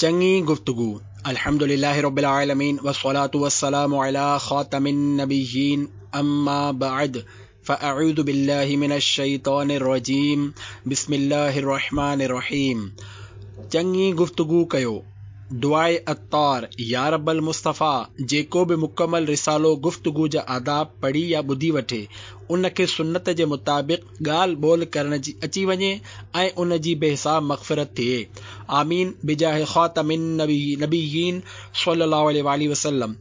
چڱي گفتگو الحمد لله رب العالمين والصلاة والسلام على خاتم النبيين اما بعد فاعوذ بالله من الشيطان الرجيم بسم الله الرحمن الرحيم چڱي گفتگو ڪيو دعاء عطار يا رب المصطفيٰ جيڪو به مڪمل رسالو گفتگو جا آداب پڙهي يا ٻڌي وٺي ان کي سنت جي مطابق ڳالهه ٻولهه ڪرڻ جي اچي وڃي ۽ ان جي بي حساب مغفرت ٿئي آمين بجاه خاتم النبيين صلي الله عليه واله وسلم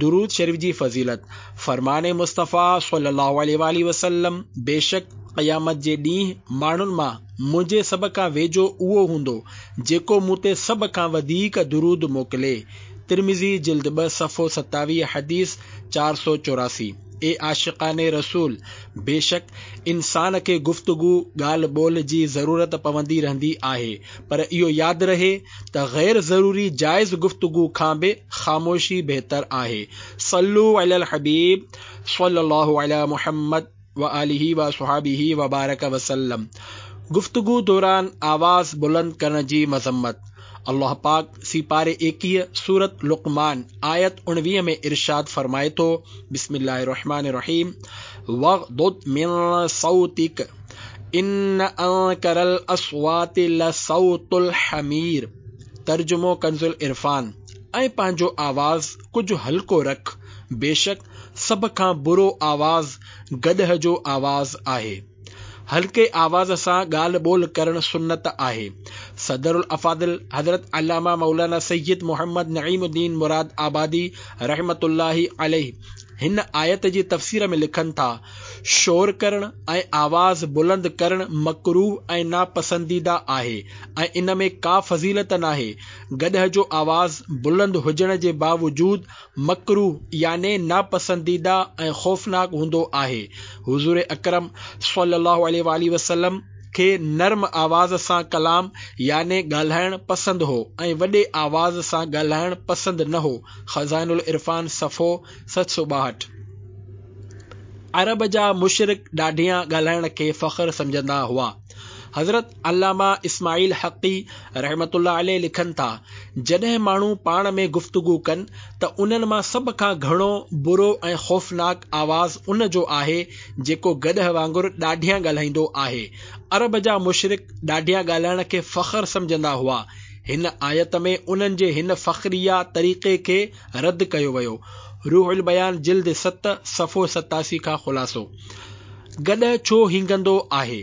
درود شريف جي فضيلت فرمان مصطفيٰ صلي الله عليه واله وسلم بيشڪ قيامت جي ڏينهن ماڻهن مان منهنجي سڀ کان ويجهو اهو هوندو جيڪو مون تي سڀ کان وڌيڪ درود موڪلي ترمذي جلد 2 صفحو 27 حديث 484 اي عاشقان رسول! بيشڪ انسان کي گفتگو، ڳالهه ٻولهه، جي ضرورت پوندي رهندي آهي، پر اهو ياد رهي ته غير ضروري جائز گفتگو کان به خاموشي بهتر آهي. صلو علی الحبيب صلي الله علي محمد وآله واصحابه وبارڪ وسلم گفتگو دوران آواز بلند ڪرڻ جي مذمت الله پاڪ سيپاري 21 سورت لقمان آيت 19 ۾ ارشاد فرمائي ٿو بسم الله الرحمن الرحيم واغضض من صوتك ان انڪر الاصوات لصوت الحمير ترجمو ڪنز العرفان ۽ پنهنجو آواز ڪجهه هلڪو رک بيشڪ سڀ کان برو آواز گڏهه جو آواز آهي. هلڪي آواز سان ڳالهه ٻولهه ڪرڻ سنت آهي. صدر الافاضل حضرت علامه مولانا سيد محمد نعيم الدين مراد آبادي رحمة الله عليه هن آيت جي تفسير ۾ لکن ٿا، شور ڪرڻ ۽ آواز بلند ڪرڻ مڪروه ۽ ناپسنديده آهي ۽ ان ۾ ڪا فضيلت ناهي. گڏهه جو آواز بلند هجڻ جي باوجود مڪروه يعني ناپسنديده ۽ خوفناڪ هوندو آهي. حضور اڪرم صلي الله عليه واٰله وسلم کي نرم آواز سان ڪلام يعني ڳالهائڻ پسند هو ۽ وڏي آواز سان ڳالهائڻ پسند نه هو خزائن العرفان صفحو 762. عرب جا مشرڪ ڏاڍيان ڳالهائڻ کي فخر سمجهندا هئا. حضرت علامه اسماعيل حقي رحمة الله عليه لکن ٿا، جڏهن ماڻهو پاڻ ۾ گفتگو ڪن ته انهن مان سڀ کان گهڻو برو ۽ خوفناڪ آواز ان جو آهي جيڪو گڏهه وانگر ڏاڍيان ڳالهائيندو آهي. عرب جا مشرڪ ڏاڍيان ڳالهائڻ کي فخر سمجهندا هئا. هن آيت ۾ انهن جي هن فخريه طريقي کي رد ڪيو ويو. روح البيان جلد 7 صفحو 87 کان خلاصو. گڏهه ڇو هينگندو آهي؟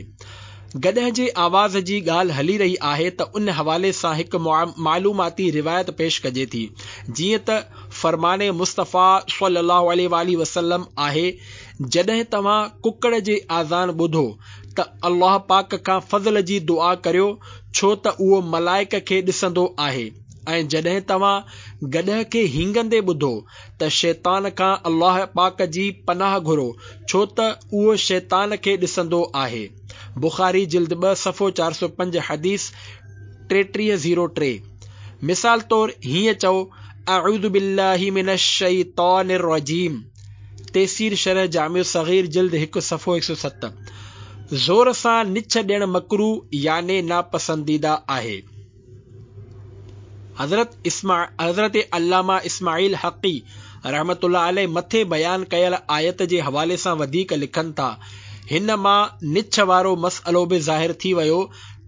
گڏهه جي آواز جي ڳالهه هلي رهي آهي ته ان حوالي سان هڪ معلوماتي روايت پيش ڪجي ٿي. جيئن ته فرمان مصطفيٰ صلي الله عليه واٰله وسلم آهي، جڏهن توهان ڪڪڙ جي آذان ٻڌو ته الله پاڪ کان فضل جي دعا ڪريو ڇو ته اهو ملائڪ کي ڏسندو آهي ۽ جڏهن توهان گڏهه کي هينگندي ٻڌو ته شيطان کان الله پاڪ جي پناهه گهرو ڇو ته اهو شيطان کي ڏسندو آهي. بخاري جلد 2 صفحو 405 حديث 3303. مثال طور هيئن چئو اعوذ بالله من الشيطان الرجيم تيسير شرح جامع الصغير جلد 1 صفحو 107. زور سان نڇ ڏيڻ مڪروه يعني ناپسنديده آهي. حضرت علامه اسماعيل حقي رحمة الله عليه مٿي بيان ڪيل آيت جي حوالي سان وڌيڪ لکن ٿا، هن مان نڇ وارو مسئلو به ظاهر ٿي ويو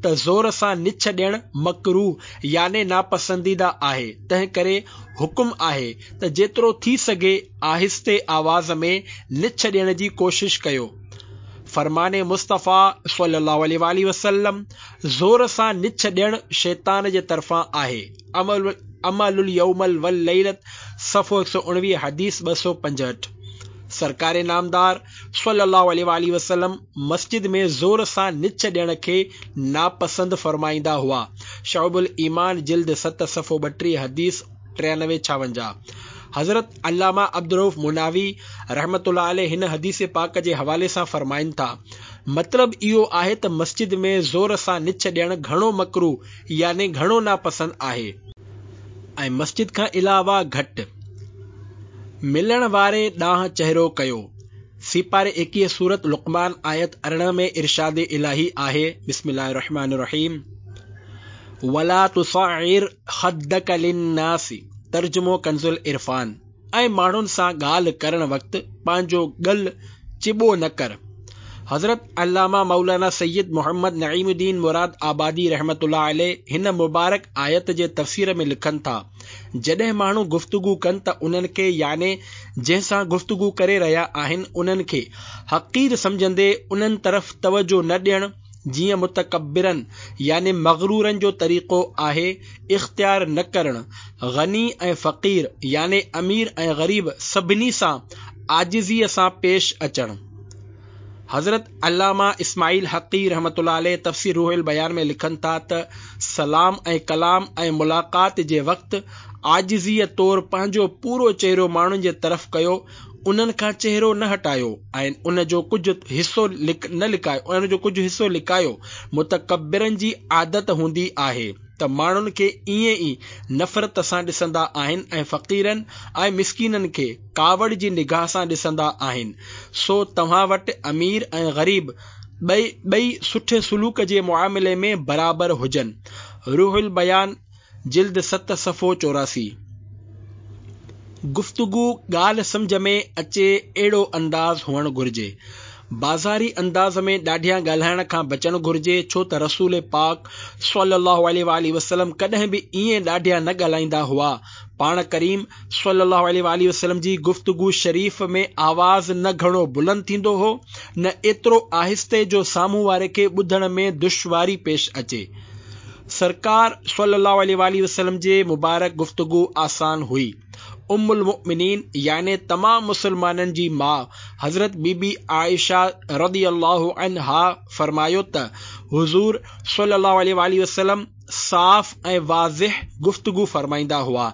ته زور سان نڇ ڏيڻ مڪروه يعني ناپسنديده آهي، تنهنڪري حڪم آهي ته جيترو ٿي سگهي آهستي آواز ۾ نڇ ڏيڻ جي ڪوشش ڪيو. فرمان مصطفيٰ صلي الله عليه واٰله وسلم، زور سان نڇ ڏيڻ شيطان جي طرفان آهي. عمل اليوم والليلة صفحو 119 حديث 265. سرڪار نامدار صلي الله عليه واٰله وسلم مسجد ۾ زور سان نڇ ڏيڻ کي ناپسند فرمائيندا هئا. شعب الايمان جلد 7 صفحو 32 حديث 93 56. حضرت علامه عبدالرؤف مناوي رحمة الله عليه هن حديث پاڪ جي حوالي سان فرمائن ٿا، مطلب اهو آهي ته مسجد ۾ زور سان نڇ ڏيڻ گهڻو مڪروه يعني گهڻو ناپسند آهي. ۽ مسجد کان علاوه گهٽ. ملڻ واري ڏانهن چهرو ڪيو. سيپاري 21 سورة لقمان آيت 18 ۾ ارشاد الاهي آهي، بسم الله الرحمٰن الرحيم. ولا تصعر خدک للناس ترجمو ڪنزالعرفان، ۽ ماڻهن سان ڳالهه ڪرڻ وقت پنهنجو ڳل چٻو نه ڪر. حضرت علامه مولانا سيد محمد نعيم الدين مراد آبادي رحمة الله عليه هن مبارڪ آيت جي تفسير ۾ لکن ٿا، جڏهن ماڻهو گفتگو ڪن ته انهن کي يعني جنهن سان گفتگو ڪري رهيا آهن انهن کي حقير سمجهندي انهن طرف توجه نه ڏيڻ، جيئن متڪبرن يعني مغرورن جو طريقو آهي اختيار نه ڪرڻ، غني ۽ فقير يعني امير ۽ غريب سڀني سان عاجزيء سان پيش اچڻ. حضرت علامه اسماعيل حقي رحمة الله عليه تفسير روح البيان ۾ لکن ٿا ته سلام ۽ ڪلام ۽ ملاقات جي وقت عاجزيء طور پنهنجو پورو چهرو ماڻهن جي طرف ڪيو انهن کان چهرو نه هٽايو ۽ ان جو ڪجهه حصو نه لڪايو ان جو ڪجهه حصو لڪايو متڪبرن جي عادت هوندي آهي ته ماڻهن کي ائين ئي نفرت سان ڏسندا آهن ۽ فقيرن ۽ مسڪينن کي ڪاوڙ جي نگاهه سان ڏسندا آهن سو توهان وٽ امير ۽ غريب ٻئي ٻئي سٺي سلوڪ جي معاملي ۾ برابر هجن روح البيان جلد ست صفحو 84. گفتگو ڳالهه سمجهه ۾ اچي اهڙو انداز هئڻ گهرجي. بازاري انداز ۾ ڏاڍيان ڳالهائڻ کان بچڻ گهرجي ڇو ته رسول پاڪ صلي الله عليه واٰله وسلم ڪڏهن به ائين ڏاڍيان نه ڳالهائيندا هئا. پاڻ ڪريم صلي الله عليه واٰله وسلم جي گفتگو شريف ۾ آواز نه گهڻو بلند ٿيندو هو نه ايترو آهستي جو سامهون واري کي ٻڌڻ ۾ دشواري پيش اچي. سرڪار صلّي الله عليه واٰله وسلّم جي مبارڪ گفتگو آسان هئي. ام المؤمنين يعني تمام مسلمانن جي ماء حضرت بي بي عائشه رضي الله عنها فرمايو ته حضور صلّي الله عليه واٰله وسلّم صاف ۽ واضح گفتگو فرمائيندا هئا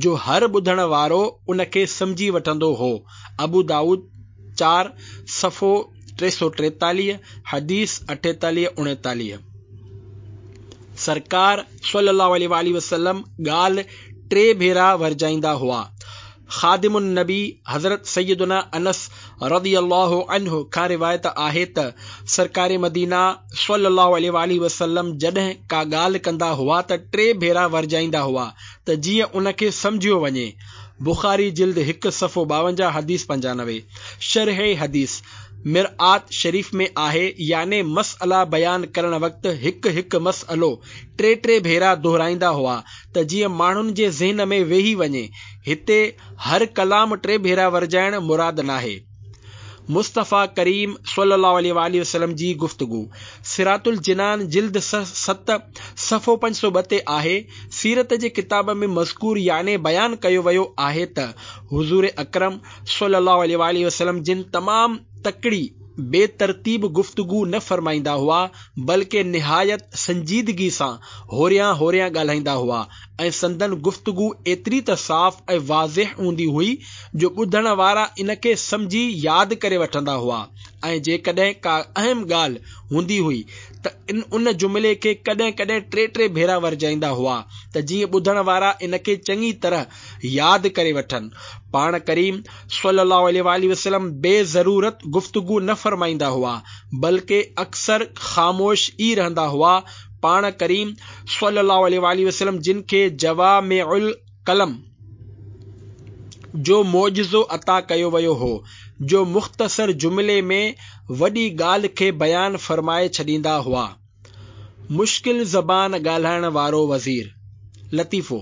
جو هر ٻڌڻ وارو ان کي سمجهي وٺندو هو. ابو دائود چار، صفحو 343، حديث 48 39. سرڪار صلي الله عليه واٰله وسلم ڳالهه ٽي ڀيرا ورجائيندا هئا. خادم النبي حضرت سيدنا انس رضي الله عنه کان روايت آهي ته سرڪار مدينه صلي الله عليه واٰله وسلم جڏهن ڪا ڳالهه ڪندا هئا ته ٽي ڀيرا ورجائيندا هئا ته جيئن ان کي سمجهيو وڃي. بخاري جلد هڪ صفحو 52 حديث 95. شرح حديث، مرآت شريف ۾ آهي يعني مسئلا بيان ڪرڻ وقت هڪ هڪ مسئلو ٽي ٽي ڀيرا دهرائيندا هئا ته جيئن ماڻهن جي ذهن ۾ ويهي وڃي، هتي هر ڪلام ٽي ڀيرا ورجائڻ مراد ناهي. مصطفيٰ ڪريم صلي الله عليه واٰله وسلم جي گفتگو صراط الجنان جلد ست صفحو 502 تي آهي، سيرت جي ڪتاب ۾ مذڪور يعني بيان ڪيو ويو آهي ته حضور اڪرم صلي الله عليه واٰله وسلم جن تمام تڪڙي بي ترتيب گفتگو نه فرمائيندا هئا بلڪه نهايت سنجيدگي سان هوريان هوريان ڳالهائيندا هئا ۽ سندن گفتگو ايتري ته صاف ۽ واضح هوندي هئي جو ٻڌڻ وارا ان کي سمجهي ياد ڪري وٺندا هئا ۽ جيڪڏهن ڪا اهم ڳالهه هوندي هئي ته ان جملي کي ڪڏهن ڪڏهن ٽي ٽي ڀيرا ورجائيندا هئا ته جيئن ٻڌڻ وارا ان کي چڱي طرح ياد ڪري وٺن. پاڻ ڪريم صلي الله عليه واٰله وسلم بي ضرورت گفتگو نه فرمائيندا هئا بلڪه اڪثر خاموش ئي رهندا هئا پاڻ ڪريم صلي الله عليه واٰله وسلم جن کي جوامع الڪلم جو معجزو عطا ڪيو ويو هو جو مختصر جملي ۾ وڏي ڳالهه کي بيان فرمائي ڇڏيندا هئا. مشڪل زبان ڳالهائڻ وارو وزير. لطيفو،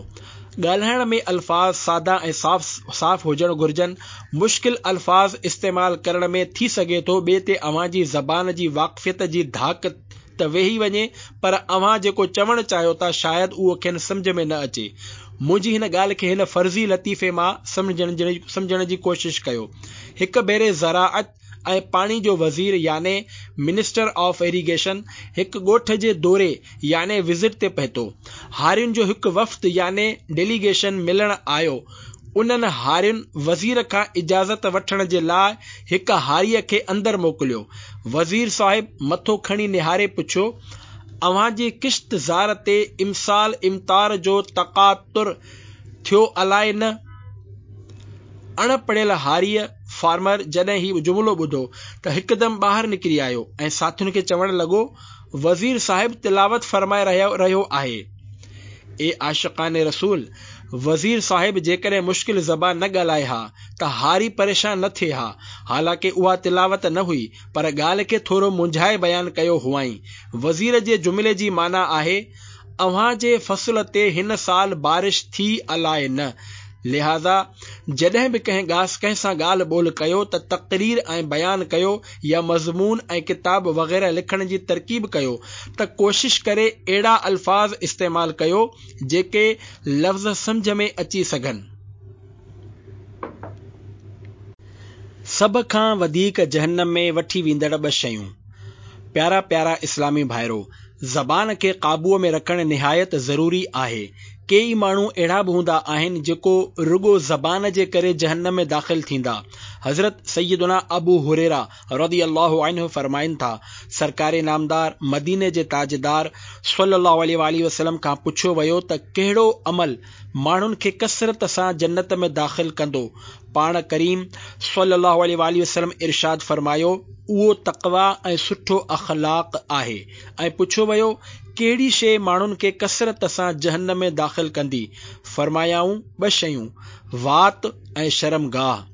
ڳالهائڻ ۾ الفاظ سادا ۽ صاف صاف هجڻ گهرجن. مشڪل الفاظ استعمال ڪرڻ ۾ ٿي سگهي ٿو ٻئي تي اوهان جي زبان جي واقفيت جي ڌاڪ ته ويهي وڃي پر اوهان جيڪو چوڻ چاهيو ٿا شايد اهو کين سمجهه ۾ نه اچي. منهنجي هن ڳالهه کي هن فرضي لطيفي مان سمجهڻ جي ڪوشش ڪيو. هڪ ڀيري زراعت ۽ پاڻي جو وزير يعني منسٽر آف ايريگيشن هڪ ڳوٺ جي دوري يعني وزٽ تي پهتو. هارين جو هڪ وفد يعني ڊيليگيشن ملڻ آيو. انهن هارين وزير کان اجازت وٺڻ جي لاء هڪ هاريء کي اندر موڪليو. وزير صاحب مٿو کڻي نهاري پڇيو، اوهان جي ڪشت زار تي امسال امطار جو تقاطر ٿيو الائي نه؟ اڻ پڙهيل هاريء، فارمر، جڏهن هي جملو ٻڌو ته هڪدم ٻاهر نڪري آيو ۽ ساٿين کي چوڻ لڳو، وزير صاحب تلاوت فرمائي رهيو آهي. اي عاشقان رسول! وزير صاحب جيڪڏهن مشڪل زبان نه ڳالهائي ها ته هاري پريشان نه ٿئي ها. حالانڪه اها تلاوت نه هئي، پر ڳالهه کي ٿورو منجهائي بيان ڪيو هئائين. وزير جي جملي جي معنيٰ آهي، اوهان جي فصل تي هن سال بارش ٿي الائي نه. لهٰذا جڏهن به ڪنهن ڪنهن سان ڳالهه ٻولهه ڪيو ته تقرير ۽ بيان ڪيو يا مضمون ۽ ڪتاب وغيره لکڻ جي ترڪيب ڪيو ته ڪوشش ڪري اهڙا الفاظ استعمال ڪيو جيڪي لفظ سمجهه ۾ اچي سگهن. سڀ کان وڌيڪ جهنم ۾ وٺي ويندڙ ٻه شيون. پيارا پيارا اسلامي ڀائرو! زبان کي قابوء ۾ رکڻ نهايت ضروري آهي. ڪيئي ماڻهو اهڙا به هوندا آهن جيڪو رڳو زبان جي ڪري جهنم ۾ داخل ٿيندا. حضرت سيدنا ابو هريره رضي الله عنه فرمائن ٿا، سرڪار نامدار، مديني جي تاجدار صلّي الله عليه واٰله وسلّم کان پڇيو ويو ته ڪهڙو عمل ماڻهن کي ڪثرت سان جنت ۾ داخل ڪندو؟ پاڻ ڪريم صلّي الله عليه واٰله وسلّم ارشاد فرمايو، اهو تقويٰ ۽ سٺو اخلاق آهي ۽ پڇيو ويو، ڪهڙي شيء ماڻهن کي ڪثرت سان جهنم ۾ داخل ڪندي؟ فرمايائون، ٻه شيون، وات ۽ شرمگاهه.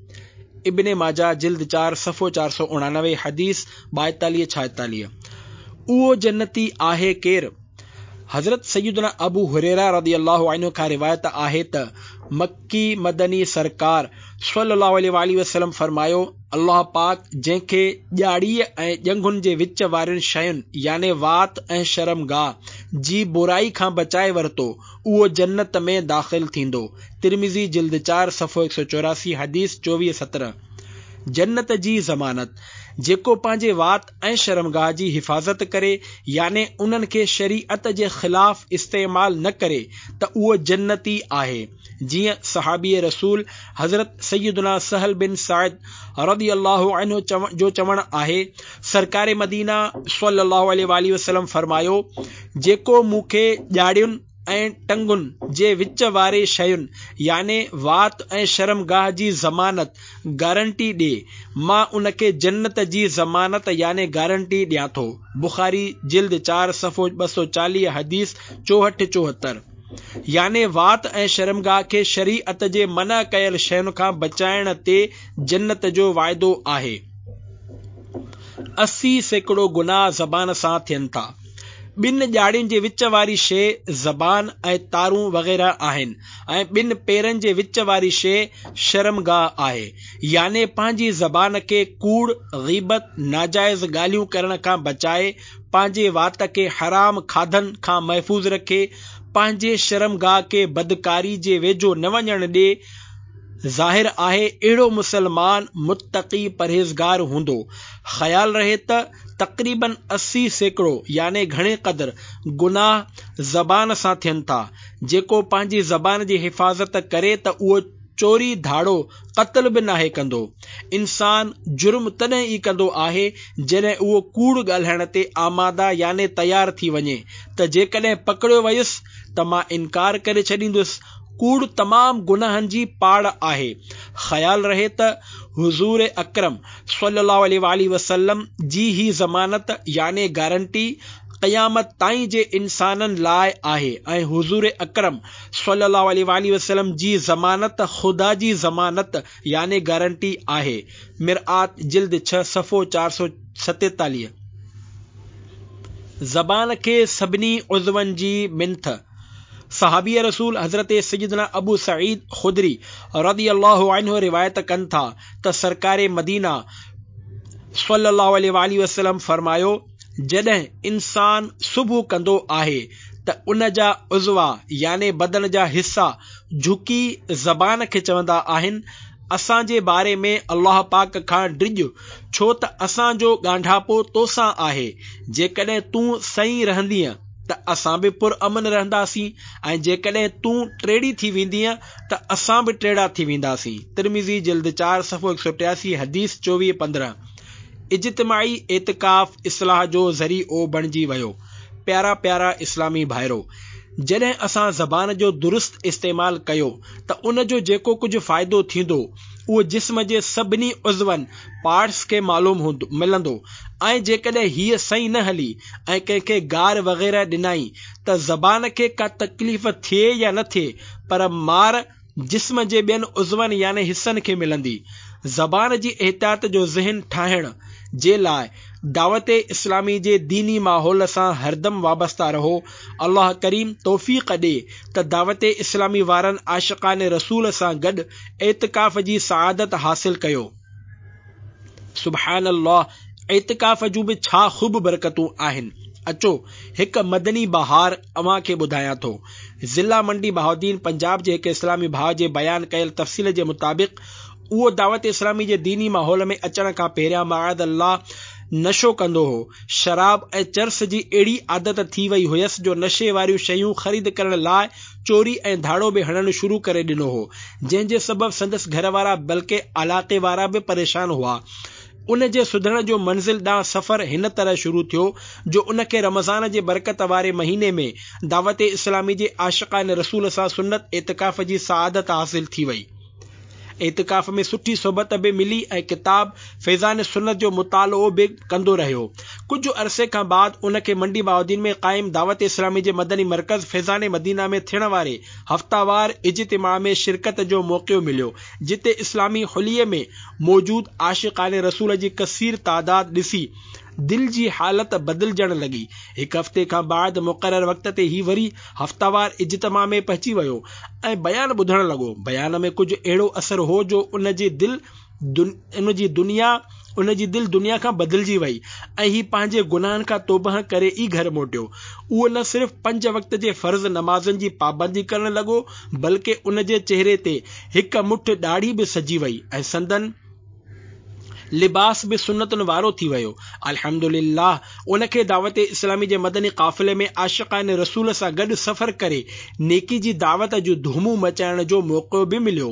ابن ماجه جلد چار صفحو 489 حديث 42 46. اهو جنتي آهي ڪير؟ حضرت سيدنا ابو هريره رضي الله عنه کان روايت آهي ته مڪي مدني سرڪار صلي الله عليه واٰله وسلم فرمايو، الله پاڪ جنهن کي ڄاڙيء ۽ ڄنگهن جي وچ وارين شين يعني وات ۽ شرمگاهه جي برائي کان بچائي ورتو اهو جنت ۾ داخل ٿيندو. ترمذي جلد چار صفحو 184 حديث 24 17. جنت جي ضمانت، جيڪو پنهنجي وات ۽ شرمگاهه جي حفاظت ڪري يعني انهن کي شريعت جي خلاف استعمال نه ڪري ته اهو جنتي آهي جيئن صحابي رسول حضرت سيدنا سهل بن سعد رضي الله عنه جو چوڻ آهي سرڪار مدينه صلي الله عليه واٰله وسلم فرمايو جيڪو مون کي ڄاڙين ۽ ٽنگن جي وچ واري شين يعني وات ۽ شرمگاهه جي ضمانت، گارنٽي، ڏي، مان ان کي جنت جي ضمانت يعني گارنٽي ڏيان ٿو. بخاري جلد چار صفحو 240 حديث 64 74. يعني وات ۽ شرمگاهه کي شريعت جي منع ڪيل شين کان بچائڻ تي جنت جو وعدو آهي. 80% گناهه زبان سان ٿين ٿا. ٻن ڄاڙين جي وچ واري شيء زبان ۽ تارون وغيره آهن ۽ ٻن پيرن جي وچ واري شيء شرمگاهه آهي. يعني پنهنجي زبان کي ڪوڙ، غيبت، ناجائز ڳالهيون ڪرڻ کان بچائي، پنهنجي وات کي حرام کاڌن کان محفوظ رکي، پنهنجي شرمگاهه کي بدڪاري جي ويجهو نه وڃڻ ڏي، ظاهر آهي اهڙو مسلمان متقي پرهيزگار هوندو. خيال رهي ته تقريباً 80% يعني گهڻي قدر گناهه زبان سان ٿين ٿا. جيڪو پنهنجي زبان جي حفاظت ڪري ته اهو چوري ڌاڙو قتل به ناهي ڪندو. انسان جرم تڏهن ئي ڪندو آهي جڏهن اهو ڪوڙ ڳالهائڻ تي آماده يعني تيار ٿي وڃي ته جيڪڏهن پڪڙيو ويس ته مان انڪار ڪري ڇڏيندس ڪوڙ تمام گناهن جي پاڙ آهي. خيال رهي ته حضور اڪرم صلي الله عليه واٰله وسلم جي هي ضمانت يعني گارنٽي قيامت تائين جي انسانن لاء آهي ۽ حضور اڪرم صلي الله عليه واٰله وسلم جي ضمانت خدا جي ضمانت يعني گارنٽي آهي. مرآت جلد ڇهه صفحو 447. زبان کي سڀني عضون جي منٿ. صحابي رسول حضرت سيدنا ابو سعيد خدري رضي الله عنه روايت ڪن ٿا ته سرڪار مدينه صلي الله عليه واٰله وسلم فرمايو، جڏهن انسان صبح ڪندو آهي ته ان جا عضوا يعني بدن جا حصا جهڪي زبان کي چوندا آهن، اسان جي باري ۾ الله پاڪ کان ڊڄ ڇو ته اسان جو ڳانڍاپو توسان آهي، جيڪڏهن تون صحيح رهندينء ته اسان به پر امن رهنداسين ۽ جيڪڏهن تون ٽيڙي ٿي ويندينء ته اسان به ٽيڙا ٿي وينداسين. ترمذي جلد چار صفحو 183 حديث 24 15. اجتماعي اعتڪاف اصلاح جو ذريعو بڻجي ويو. پيارا پيارا اسلامي ڀائرو! جڏهن اسان زبان جو درست استعمال ڪيو ته ان جو جيڪو ڪجهه فائدو ٿيندو اهو جسم جي سڀني عضون، Parts، کي معلوم هوندو، ملندو ۽ جيڪڏهن هيء صحيح نه هلي ۽ ڪنهن کي گار وغيره ڏنائين ته زبان کي ڪا تڪليف ٿئي يا نه ٿئي پر مار جسم جي ٻين عضون يعني حصن کي ملندي. زبان جي احتياط جو ذهن ٺاهڻ جي لاء دعوت اسلامي جي ديني ماحول سان هردم وابسته رهو. الله ڪريم توفيق ڏي ته دعوت اسلامي وارن عاشقان رسول سان گڏ اعتڪاف جي سعادت حاصل ڪيو. سبحان الله اعتڪاف جون به ڇا خوب برڪتون آهن. اچو هڪ مدني بهار اوهان کي ٻڌايان ٿو. ضلع منڊي بهاؤالدين پنجاب جي هڪ اسلامي ڀاء جي بيان ڪيل تفصيل جي مطابق اهو دعوت اسلامي جي ديني ماحول ۾ اچڻ کان پهريان معاذ الله نشو ڪندو هو. شراب ۽ چرس جي اهڙي عادت ٿي وئي هيس جو نشي واريون شيون خريد ڪرڻ لاء چوري ۽ ڌاڙو به هڻڻ شروع ڪري ڏنو هو، جنهن جي سبب سندس گهر وارا بلڪه علاقي وارا به پريشان هئا. ان جي سڌرڻ جو منزل ڏانهن سفر هن طرح شروع ٿيو جو ان کي رمضان جي برڪت واري مهيني ۾ دعوت اسلامي جي عاشقان رسول سان سنت اعتڪاف جي سعادت حاصل ٿي وئي. اعتڪاف ۾ سٺي صحبت به ملي ۽ ڪتاب فيضان سنت جو مطالعو به ڪندو رهيو. ڪجهه عرصي کان بعد ان کي منڊي بهاؤالدين ۾ قائم دعوت اسلامي جي مدني مرڪز فيضان مدينه ۾ ٿيڻ واري هفتيوار اجتماع ۾ شرڪت جو موقعو مليو جتي اسلامي حليي ۾ موجود عاشقان رسول جي ڪثير تعداد ڏسي دل جي حالت بدلجڻ لڳي. هڪ هفتي کان بعد مقرر وقت تي هي وري هفتيوار اجتماع ۾ پهچي ويو ۽ بيان ٻڌڻ لڳو. بيان ۾ ڪجهه اهڙو اثر هو جو ان جي دل ان جي دنيا ان جي دل دنيا کان بدلجي وئي ۽ هي پنهنجي گناهن کان توبهه ڪري ئي گهر موٽيو. اهو نه صرف پنج وقت جي فرض نمازن جي پابندي ڪرڻ لڳو بلڪه ان جي چهري تي هڪ مٺ ڏاڙهي به سجي وئي ۽ سندن لباس به سنتن وارو ٿي ويو. الحمد لله ان کي دعوت اسلامي جي مدني قافلي ۾ عاشقان رسول سان گڏ سفر ڪري نيڪي جي دعوت جون ڌومون مچائڻ جو موقعو به مليو.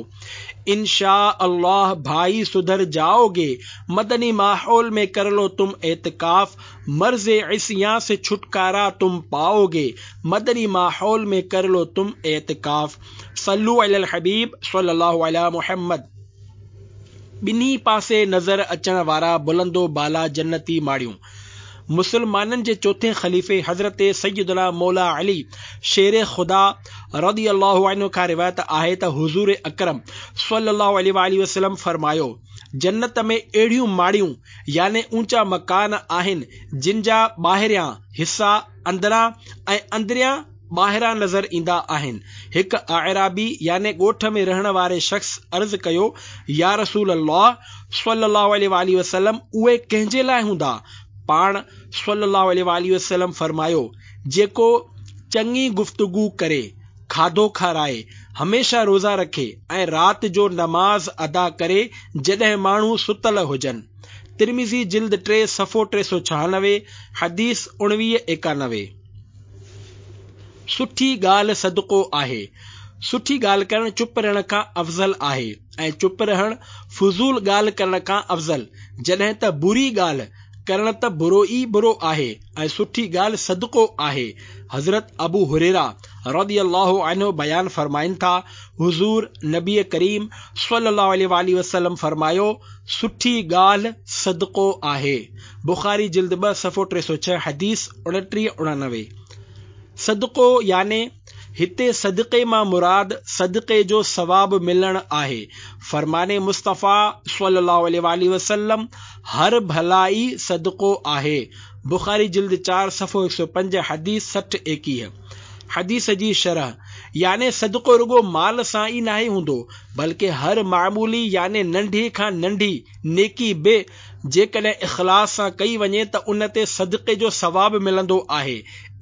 ان شاء الله ڀائي سڌر جائو گي مدني ماحول ۾ ڪر لو تم اعتڪاف مرض عصيان سي ڇٽڪارا تم پائو گي مدني ماحول ۾ ڪر لو تم اعتڪاف صلو علي الحبيب صلي الله علي محمد. ٻنهي پاسي نظر اچڻ وارا بلند و بالا جنتي ماڙيون. مسلمانن جي چوٿين خليفي حضرت سيدنا مولا علي شير خدا رضي الله عنه کان روايت آهي ته حضور اڪرم صلي الله عليه واٰله وسلم فرمايو، جنت ۾ اهڙيون ماڙيون يعني اونچا مڪان آهن جن جا ٻاهريان حصا اندران ۽ اندريان ٻاهران نظر ايندا آهن. هڪ اعرابي يعني ڳوٺ ۾ رهڻ واري شخص عرض ڪيو، يا رسول الله صلّي الله عليه واٰله وسلّم اهي ڪنهن جي لاء هوندا؟ پاڻ صلّي الله عليه واٰله وسلّم فرمايو، جيڪو چڱي گفتگو ڪري، کاڌو کارائي، هميشه روزا رکي ۽ رات جو نماز ادا ڪري جڏهن ماڻهو ستل هجن. ترمذي جلد ٽي صفحو 396 حديث 19 91. سٺي ڳالهه صدقو آهي. سٺي ڳالهه ڪرڻ چپ رهڻ کان افضل آهي ۽ چپ رهڻ فضول ڳالهه ڪرڻ کان افضل، جڏهن ته بري ڳالهه ڪرڻ ته برو ئي برو آهي ۽ سٺي ڳالهه صدقو آهي. حضرت ابو هريره رضي الله عنه بيان فرمائن ٿا، حضور نبي ڪريم صلي الله عليه واٰله وسلم فرمايو، سٺي ڳالهه صدقو آهي. بخاري جلد ٻه صفحو 306 حديث 29 89. صدقو يعني هتي صدقي مان مراد صدقي جو ثواب ملڻ آهي. فرمان مصطفيٰ صلي الله عليه واٰله وسلم هر ڀلائي صدقو آهي. بخاري جلد چار صفحو 105 حديث 60 21. حديث جي شرح، يعني صدقو رڳو مال سان ئي ناهي هوندو بلڪه هر معمولي يعني ننڍي کان ننڍي نيڪي به جيڪڏهن اخلاص سان ڪئي وڃي ته ان تي صدقي جو ثواب ملندو آهي،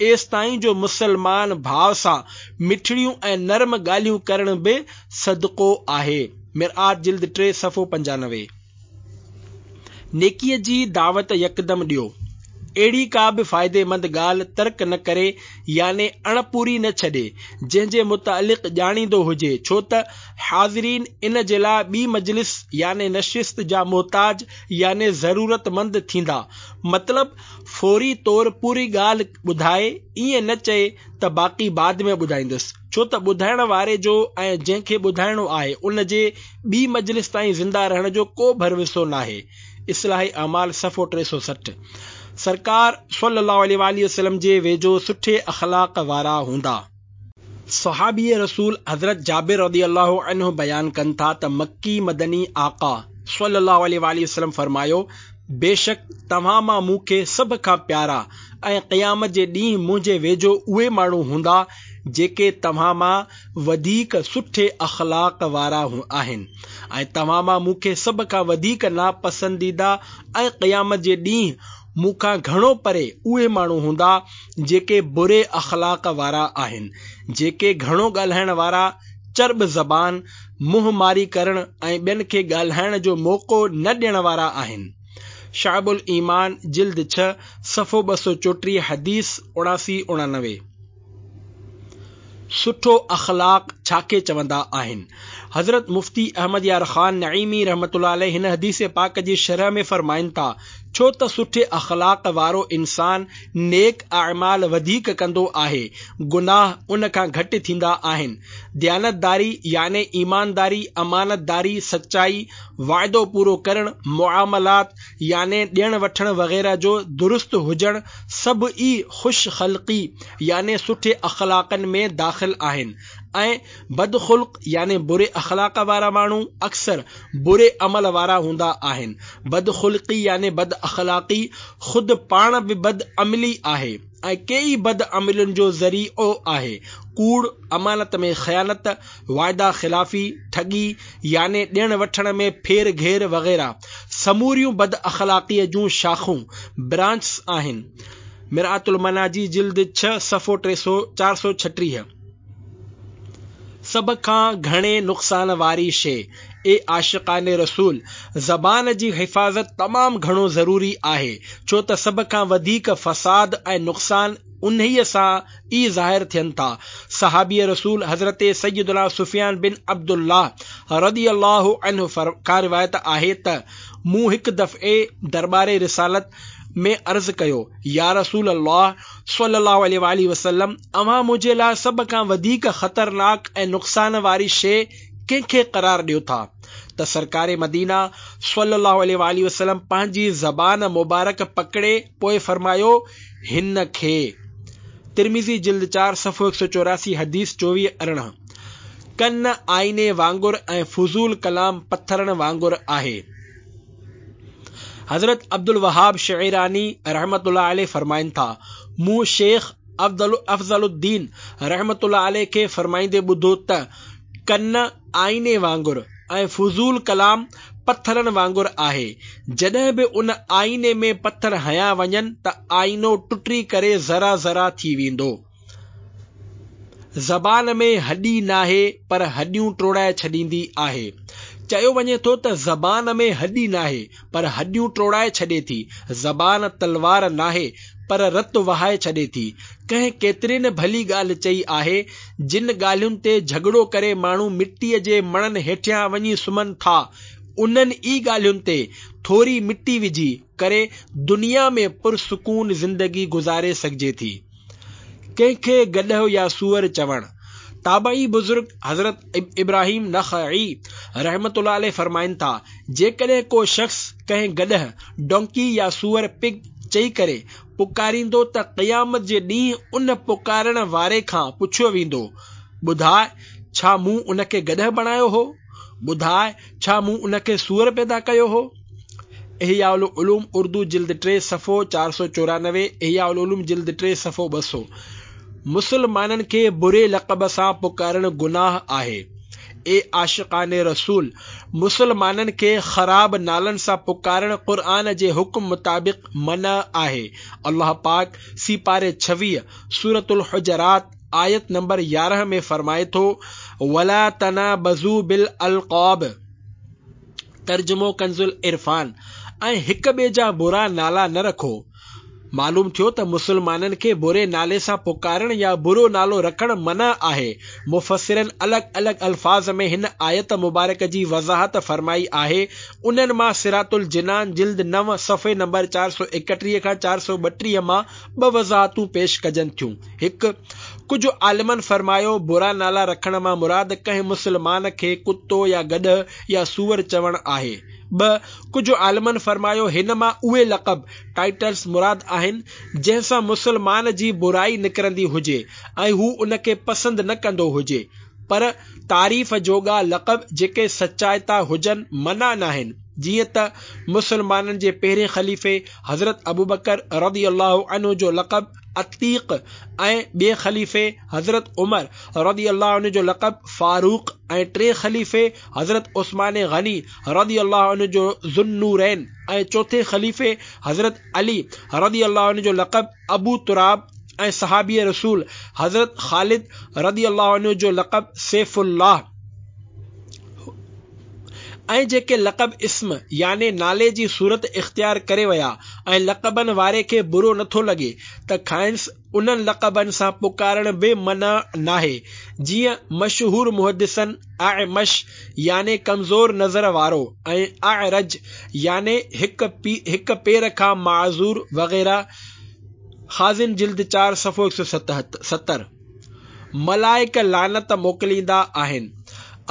ايستائين جو مسلمان ڀاء سان مٺڙيون ۽ نرم ڳالهيون ڪرڻ به صدقو آهي. مرآت جلد ٽي صفحو 95. نيڪيء جي دعوت يڪدم ڏيو. اهڙي ڪا به فائديمند ڳالهه ترڪ نه ڪري يعني اڻپوري نه ڇڏي، جنهن جي متعلق ڄاڻيندو هجي، ڇو ته حاضرين ان جي لاء ٻي مجلس يعني نشست جا محتاج يعني ضرورتمند ٿيندا. مطلب فوري طور پوري ڳالهه ٻڌائي، ائين نه چئي ته باقي بعد ۾ ٻڌائيندس، ڇو ته ٻڌائڻ واري جو ۽ جنهن کي ٻڌائڻو آهي ان جي ٻي مجلس تائين زنده رهڻ جو ڪو ڀروسو ناهي. اصلاح اعمال صفحو 360 سرڪار صلّي اللّٰه عليه واٰله وسلّم جي ويجهو سٺي اخلاق وارا هوندا. صحابي رسول حضرت جابر رضي الله عنه بيان ڪن ٿا ته مڪي مدني آقا صلّي اللّٰه عليه واٰله وسلّم فرمايو، بيشڪ توهان مان مون کي سڀ کان پيارا ۽ قيامت جي ڏينهن منهنجي ويجهو اهي ماڻهو هوندا جيڪي توهان مان وڌيڪ سٺي اخلاق وارا آهن ۽ توهان مان مون کي سڀ کان وڌيڪ ناپسنديده ۽ قيامت جي ڏينهن مون کان گهڻو پري اهي ماڻهو هوندا جيڪي بري اخلاق وارا آهن، جيڪي گهڻو ڳالهائڻ وارا، چرٻ زبان، منهن ماري ڪرڻ ۽ ٻين کي ڳالهائڻ جو موقعو نه ڏيڻ وارا آهن. شعب الايمان جلد ڇهه صفحو 234 حديث 79 89. سٺو اخلاق ڇا کي چوندا آهن؟ حضرت مفتي احمد يار خان نعيمي رحمة الله عليه هن حديث پاڪ جي شرح ۾ فرمائن ٿا، ڇو ته سٺي اخلاق وارو انسان نيڪ اعمال وڌيڪ ڪندو آهي، گناهه ان کان گهٽ ٿيندا آهن. ديانتداري يعني ايمانداري، امانتداري، سچائي، وعدو پورو ڪرڻ، معاملات يعني ڏيڻ وٺڻ وغيره جو درست هجڻ سڀ ئي خوش خلقي يعني سٺي اخلاقن ۾ داخل آهن ۽ بدخلق يعني بري اخلاق وارا ماڻهو اڪثر بري عمل وارا هوندا آهن. بدخلقي يعني بد اخلاقي خود پاڻ به بد عملي آهي ۽ ڪيئي بد عملين جو ذريعو آهي. ڪوڙ، امانت ۾ خيانت، وعده خلافي، ٺڳي يعني ڏيڻ وٺڻ ۾ ڦير گهير وغيره سموريون بد اخلاقيء جون شاخون، Branches، آهن. مرآة المناجي جلد ڇهه صفحو 436. سڀ کان گهڻي نقصان واري شيء، اي عاشقان رسول! زبان جي حفاظت تمام گهڻو ضروري آهي، ڇو ته سڀ کان وڌيڪ فساد ۽ نقصان انهيء سان ئي ظاهر ٿين ٿا. صحابي رسول حضرت سيدنا سفيان بن عبدالله رضي الله عنه کان روايت آهي ته مون هڪ دفعي درٻار رسالت ۾ عرض ڪيو، يا رسول الله صلي الله عليه واٰله وسلم اوهان منهنجي لاء سڀ کان وڌيڪ خطرناڪ ۽ نقصان واري شيء ڪنهن کي قرار ڏيو ٿا؟ ته سرڪار مدينه صلي الله عليه واٰله وسلم پنهنجي زبان مبارڪ پڪڙي پوء فرمايو، هن کي. ترمذي جلد چار صفحو 184 حديث 24 18. ڪن آئيني وانگر ۽ فضول ڪلام پٿرن وانگر آهي. حضرت عبدالوهاب شعراني رحمة الله عليه فرمائن ٿا، مون شيخ افضل الدين رحمة الله عليه کي فرمائيندي ٻڌو ته، ڪن آئيني وانگر ۽ فضول ڪلام پٿرن وانگر آهي، جڏهن به ان آئيني ۾ پٿر هنيا وڃن ته آئينو ٽٽي ڪري ذرا ذرا ٿي ويندو. زبان ۾ هڏي ناهي پر هڏيون ٽوڙائي ڇڏيندي آهي. چيو وڃي ٿو ته زبان ۾ هڏي ناهي پر هڏيون ٽوڙائي ڇڏي ٿي. زبان تلوار ناهي پر رت وهائي ڇڏي ٿي. ڪنهن ڪيتري نه ڀلي ڳالهه چئي آهي، جن ڳالهين تي جهڳڙو ڪري ماڻهو مٽيء جي مڻن هيٺيان وڃي سمهن ٿا، انهن ئي ڳالهين تي ٿوري مٽي وجهي ڪري دنيا ۾ پرسڪون زندگي گذاري سگهجي ٿي. ڪنهن کي گڏهه يا سوئر چوڻ. تابعي بزرگ حضرت ابراهيم نخعي رحمة الله عليه فرمائن ٿا، جيڪڏهن ڪو شخص ڪنهن گڏهه، Donkey، يا سوئر، Pig، چئي ڪري پڪاريندو ته قيامت جي ڏينهن ان پڪارڻ واري کان پڇيو ويندو، ٻڌاء ڇا مون ان کي گڏهه بڻايو هو؟ ٻڌاء ڇا مون ان کي سوئر پيدا ڪيو هو؟ احياء العلوم اردو جلد ٽي صفحو 494 احياء العلوم جلد ٽي صفحو 200 مسلمانن کي بري لقب سان پڪارڻ گناهه آهي. اي عاشقان رسول! مسلمانن کي خراب نالن سان پڪارڻ قرآن جي حڪم مطابق منع آهي. الله پاڪ سيپاري 26 سورة الحجرات آيت نمبر 11 ۾ فرمائي ٿو، ولا تنابزوا بالالقاب ترجمو ڪنزالعرفان، ۽ هڪ ٻئي جا برا نالا نه رکو. معلوم ٿيو ته مسلمانن کي بري نالي سان پڪارڻ يا برو نالو رکڻ منع آهي. مفسرن الڳ الڳ الفاظ ۾ هن آيت مبارڪ جي وضاحت فرمائي آهي. انهن مان صراط الجنان جلد نو صفحي نمبر 431 کان 432 مان ٻه وضاحتون پيش ڪجن ٿيون. هڪ. ڪجهه عالمن فرمايو، برا نالا رکڻ مان مراد ڪنهن مسلمان کي ڪتو يا گڏهه يا سوئر چوڻ آهي. ٻه. ڪجهه عالمن فرمايو، هن مان اهي لقب، Titles، مراد آهن، جنهن سان مسلمان جي برائي نڪرندي هجي ۽ هو ان کي پسند نه ڪندو هجي. پر تعريف جوڳا لقب جيڪي سچائتا هجن منع ناهن، جيئن ته مسلمانن جي پهرين خليفي حضرت ابوبڪر رضي الله عنه جو لقب عتيق ۽ ٻئي خليفي حضرت عمر رضي الله عنه جو لقب فاروق ۽ ٽئين خليفي حضرت عثمان غني رضي الله عنه جو ذوالنورين ۽ چوٿين خليفي حضرت علي رضي الله عنه جو لقب ابو تراب ۽ صحابي رسول حضرت خالد رضي الله عنه جو لقب سيف الله ۽ جيڪي لقب اسم يعني نالي جي صورت اختيار ڪري ويا ۽ لقبن واري کي برو نٿو لڳي ته کانئس انهن لقبن سان پڪارڻ به منع ناهي، جيئن مشهور محدثن اعمش يعني ڪمزور نظر وارو ۽ اعرج يعني هڪ پير کان معذور وغيره خازن جلد چار صفحو هڪ سؤ ستر. ملائڪ لعنت موڪليندا آهن.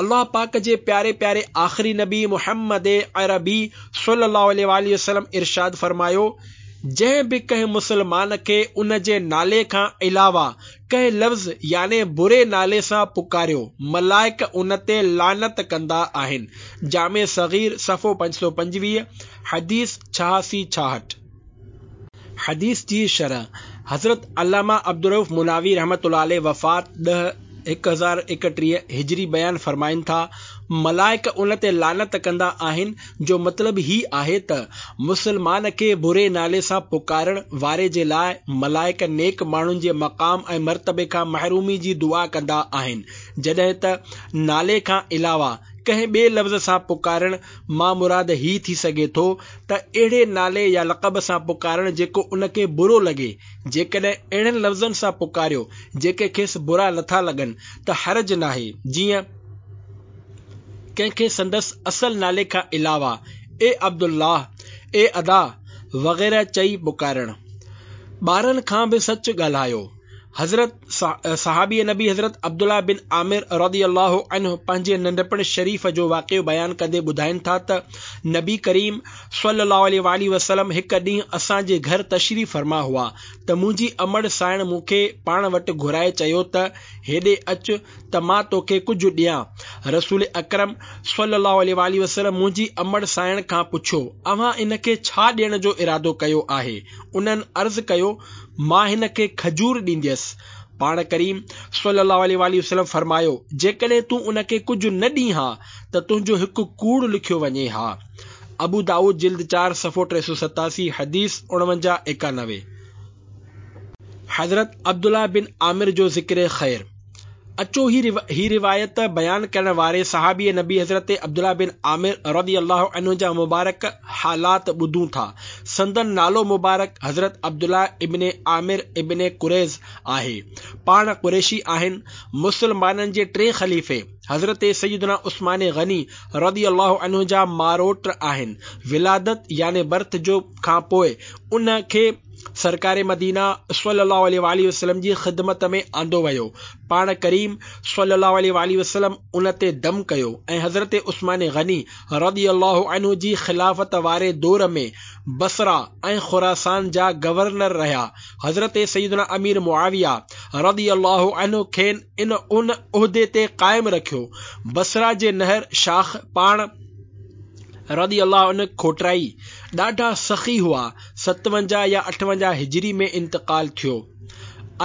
الله پاڪ جي پياري پياري آخري نبي محمد عربي صلي الله عليه واٰله وسلم ارشاد فرمايو، جنهن به ڪنهن مسلمان کي ان جي نالي کان علاوه ڪنهن لفظ يعني بري نالي سان پڪاريو، ملائڪ ان تي لعنت ڪندا آهن. جامع صغير صفحو 525، حديث 86 66. حديث جي شرح، حضرت علامه عبدالرؤف مناوي رحمة الله عليه وفات ڏهه، 1031 هجري بيان فرمائن ٿا، ملائڪ ان تي لعنت ڪندا آهن جو مطلب هي آهي ته مسلمان کي بري نالي سان پڪارڻ واري جي لاء ملائڪ نيڪ ماڻهن جي مقام ۽ مرتبي کان محرومي جي دعا ڪندا آهن جڏهن ته نالي کان علاوه ڪنهن ٻئي لفظ سان پڪارڻ مان مراد هي ٿي سگهي ٿو ته اهڙي نالي يا لقب سان پڪارڻ جيڪو ان کي برو لڳي، جيڪڏهن اهڙن لفظن سان پڪاريو جيڪي کيس برا نٿا لڳن ته حرج ناهي، جيئن ڪنهن کي سندس اصل نالي کان علاوه اي عبدالله، اي ادا وغيره چئي پڪارڻ. ٻارن کان به سچ ڳالهايو. حضرت صحابي نبي حضرت عبدالله بن عامر رضي الله عنه پنهنجي ننڍپڻ شريف جو واقعو بيان ڪندي ٻڌائين ٿا ته نبي ڪريم صلي الله عليه واٰله وسلم هڪ ڏينهن اسان جي گهر تشريف فرما هئا ته منهنجي امڙ سائڻ مون کي پاڻ وٽ گهرائي چيو ته هيڏي اچ ته مان توکي ڪجهه ڏيان رسول اڪرم صلي الله عليه واٰله وسلم منهنجي امڙ سائڻ کان پڇيو اوهان ان کي ڇا ڏيڻ جو ارادو ڪيو آهي انهن عرض ڪيو مان هن کي کجور ڏينديس. پاڻ ڪريم صلّي اللّٰه عليه واٰله وسلّم فرمايو، جيڪڏهن تون ان کي ڪجهه نه ڏين ها ته تنهنجو هڪ ڪوڙ لکيو وڃي ها. ابو دائود جلد چار صفحو 387 حديث 49 91. حضرت عبدالله بن عامر جو ذڪر خير. اچو هي روايت بيان ڪرڻ واري صحابي نبي حضرت عبدالله بن عامر رضي الله عنه جا مبارڪ حالات ٻڌون ٿا. سندن نالو مبارڪ حضرت عبدالله ابن عامر ابن قريظ آهي. پاڻ قريشي آهن. مسلمانن جي ٽئين خليفي حضرت سيدنا عثمان غني رضي الله عنه جا ماروٽ آهن. ولادت يعني برٿ جو کان پوء ان کي سرڪار مدينه صلّي اللّٰه عليه واٰله وسلّم جي خدمت ۾ آندو ويو. پاڻ ڪريم صلّي اللّٰه عليه واٰله وسلّم ان تي دم ڪيو ۽ حضرت عثمان غني رضي الله عنه جي خلافت واري دور ۾ بصره ۽ خراسان جا گورنر رهيا. حضرت سيدنا امير معاويه رضي الله عنه کين ان عهدي تي قائم رکيو. بصره جي نهر شاخ پاڻ رضي الله عنه کوٽرائي. ڏاڍا سخي هئا. 57 يا 58 هجري ۾ انتقال ٿيو.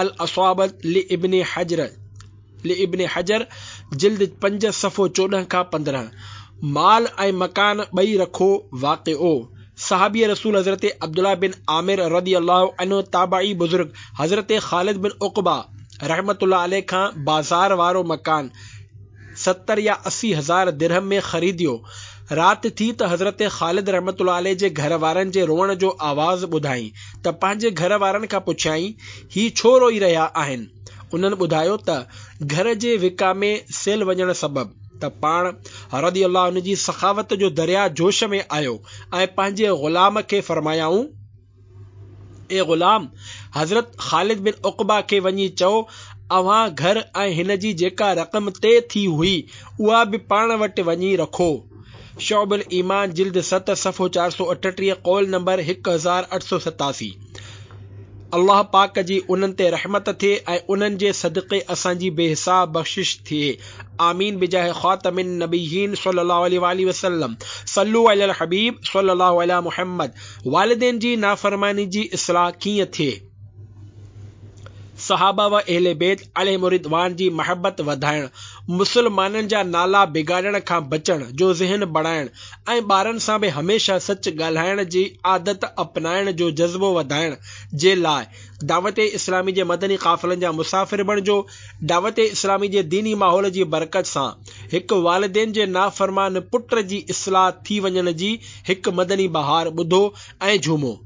الاصابة لابن حجر لابن حجر جلد پنج صفحو 14 کان 15 مال ۽ مڪان ٻئي رکو واقعو صحابي رسول حضرت عبدالله بن عامر رضي الله عنه تابعي بزرگ حضرت خالد بن عقبه رحمة الله عليه کان بازار وارو مڪان 70 يا 80 هزار درهم ۾ خريديو. رات ٿي ته حضرت خالد رحمة الله عليه جي گهر وارن جي روئڻ جو آواز ٻڌائين ته پنهنجي گهر وارن کان پڇيائين، هي ڇو روئي رهيا آهن؟ انهن ٻڌايو ته گهر جي وڪامي سيل وڃڻ سبب ته پاڻ رضي الله عنه جي سخاوت جو درياء جوش ۾ آيو ۽ پنهنجي غلام کي فرمايائون، اي غلام! حضرت خالد بن عقبه کي وڃي چئو، اوهان گهر ۽ هن جي جيڪا رقم طئي ٿي هئي، اها به پاڻ وٽ وڃي رکو. شعب الايمان جلد ست صفحو 438 قول نمبر 1887 الله پاڪ جي انهن تي رحمت ٿئي ۽ انهن جي صدقي اسان جي بي حساب بخشش ٿئي آمين بجاه خاتم النبيين صلي الله عليه واله وسلم صلو علي الحبيب صلي الله علي محمد والدين جي نافرماني جي اصلاح ڪيئن ٿئي؟ صحابه و اهل بيت عليهم الرضوان جي محبت وڌائڻ، مسلمانن جا نالا بگاڙڻ کان بچڻ جو ذهن بڻائڻ ۽ ٻارن سان به هميشه سچ ڳالهائڻ جي عادت اپنائڻ جو جذبو وڌائڻ جي لاء دعوت اسلامي جي مدني قافلن جا مسافر بڻجو، دعوت اسلامي جي ديني ماحول جي برڪت سان هڪ والدين جي نافرمان پٽ جي اصلاح ٿي وڃڻ جي هڪ مدني بهار ٻڌو ۽ جهومو.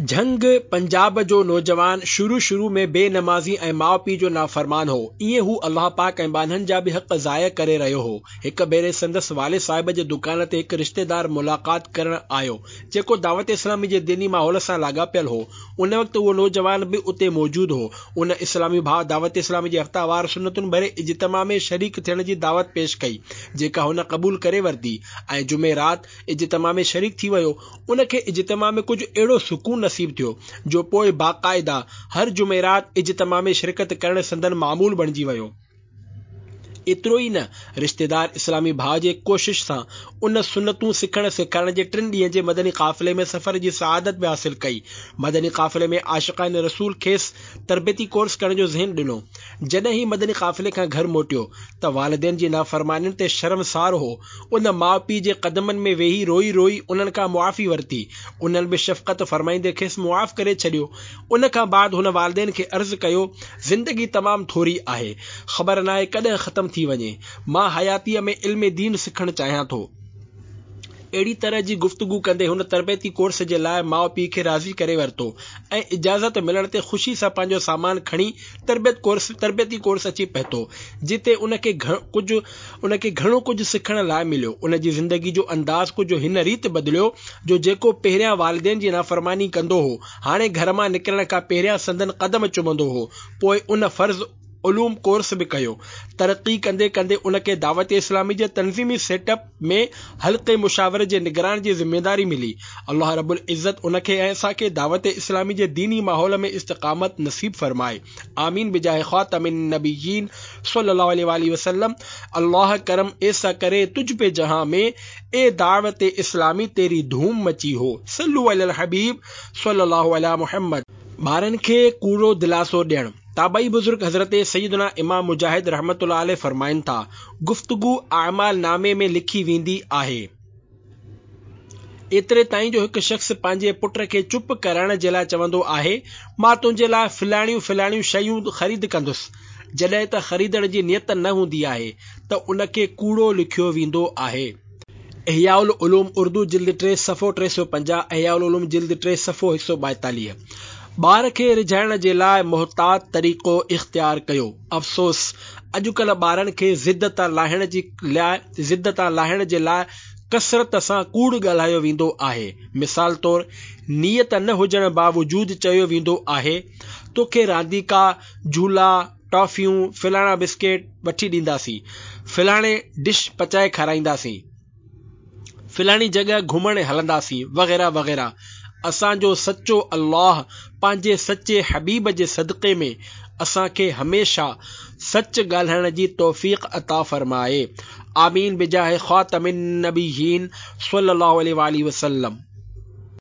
جهنگ پنجاب جو نوجوان شروع شروع ۾ بي نمازي ۽ ماء پيء جو نافرمان هو. ائين هو الله پاڪ ۽ ٻانهن جا به حق ضايع ڪري رهيو هو. هڪ ڀيري سندس والد صاحب جي دڪان تي هڪ رشتيدار ملاقات ڪرڻ آيو، جيڪو دعوت اسلامي جي ديني ماحول سان لاڳاپيل هو. ان وقت اهو نوجوان به اتي موجود هو. ان اسلامي ڀاء دعوت اسلامي جي هفته وار سنتن ڀري اجتماع ۾ شريڪ ٿيڻ جي دعوت پيش ڪئي، جيڪا هن قبول ڪري ورتي ۽ جمعي رات اجتماع ۾ شريڪ ٿي ويو. ان کي اجتماع ۾ ڪجهه اهڙو سڪون نصيب ٿيو، جو پوء باقاعده هر جمعي رات اجتماع ۾ شرڪت ڪرڻ سندن معمول بڻجي ويو. ايترو ئي نه، رشتيدار اسلامي ڀاء جي ڪوشش سان ان سنتون سکڻ سيکارڻ جي ٽن ڏينهن جي مدني قافلي ۾ سفر جي سعادت به حاصل ڪئي. مدني قافلي ۾ عاشقان رسول کيس تربيتي ڪورس ڪرڻ جو ذهن ڏنو. جڏهن هي مدني قافلي کان گهر موٽيو ته والدين جي نافرمانين تي شرمسار هو. ان ماء پيء جي قدمن ۾ ويهي روئي روئي انهن کان معافي ورتي. انهن به شفقت فرمائيندي کيس معاف ڪري ڇڏيو. ان کان بعد هن والدين کي عرض ڪيو، زندگي تمام ٿوري آهي. خبر ناهي ڪڏهن ختم ٿي وڃي. مان حياتيء ۾ علم دين سکڻ چاهيان ٿو. اهڙي طرح جي گفتگو ڪندي هن تربيتي ڪورس جي لاء ماء پيء کي راضي ڪري ورتو ۽ اجازت ملڻ تي خوشي سان پنهنجو سامان کڻي تربيت ڪورس تربيتي ڪورس اچي پهتو جتي ان کي ڪجهه ان کي گهڻو ڪجهه سکڻ لاء مليو. ان جي زندگي جو انداز ڪجهه هن ريت بدليو جو جيڪو پهريان والدين جي نافرماني ڪندو هو هاڻي گهر مان نڪرڻ کان پهريان سندن قدم چمندو هو پوء ان فرض علوم ڪورس به ڪيو. ترقي ڪندي ڪندي ان کي دعوت اسلامي جي تنظيمي سيٽ اپ ۾ حلقي مشاورت جي نگران جي ذميداري ملي. الله رب العزت ان کي ۽ اسان کي دعوت اسلامي جي ديني ماحول ۾ استقامت نصيب فرمائي. آمين بجاه خاتم النبيين صلي الله عليه واله وسلم الله ڪرم ايسا ڪري تجھ پي جهان ۾ اي دعوت اسلامي تيري ڌوم مچي هو صلو علي الحبيب صلي الله علي محمد. ٻارن کي ڪوڙو دلاسو ڏيڻ. تابعي بزرگ حضرت سيدنا امام مجاهد رحمة الله عليه فرمائن ٿا، گفتگو اعمال نامي ۾ لکي ويندي آهي. ايتري تائين جو هڪ شخص پنهنجي پٽ کي چپ ڪرائڻ جي لاء چوندو آهي، مان تنهنجي لاء فلاڻيون فلاڻيون شيون خريد ڪندس، جڏهن ته خريدڻ جي نيت نه هوندي آهي ته ان کي ڪوڙو لکيو ويندو آهي. احياء العلوم اردو جلد 3 صفحو 350 احياء العلوم جلد 3 صفحو 142 ٻار کي ريجهائڻ جي لاء محتاط طريقو اختيار ڪيو افسوس اڄڪلهه ٻارن کي ضد تان لاهڻ جي لاء ضد تان لاهڻ جي لاء ڪثرت سان ڪوڙ ڳالهايو ويندو آهي مثال طور نيت نه هجڻ باوجود چيو ويندو آهي توکي رانديڪا جهولا ٽافيون، فلاڻا بسڪيٽ وٺي ڏينداسين، فلاڻي ڊش پچائي کارائينداسين، فلاڻي جڳهه گهمڻ هلنداسين وغيره وغيره. اسان جو سچو الله پنهنجي سچي حبيب جي صدقي ۾ اسان کي هميشه سچ ڳالهائڻ جي توفيق عطا فرمائي. آمين بجاه خاتم النبيين صلي الله عليه واله وسلم.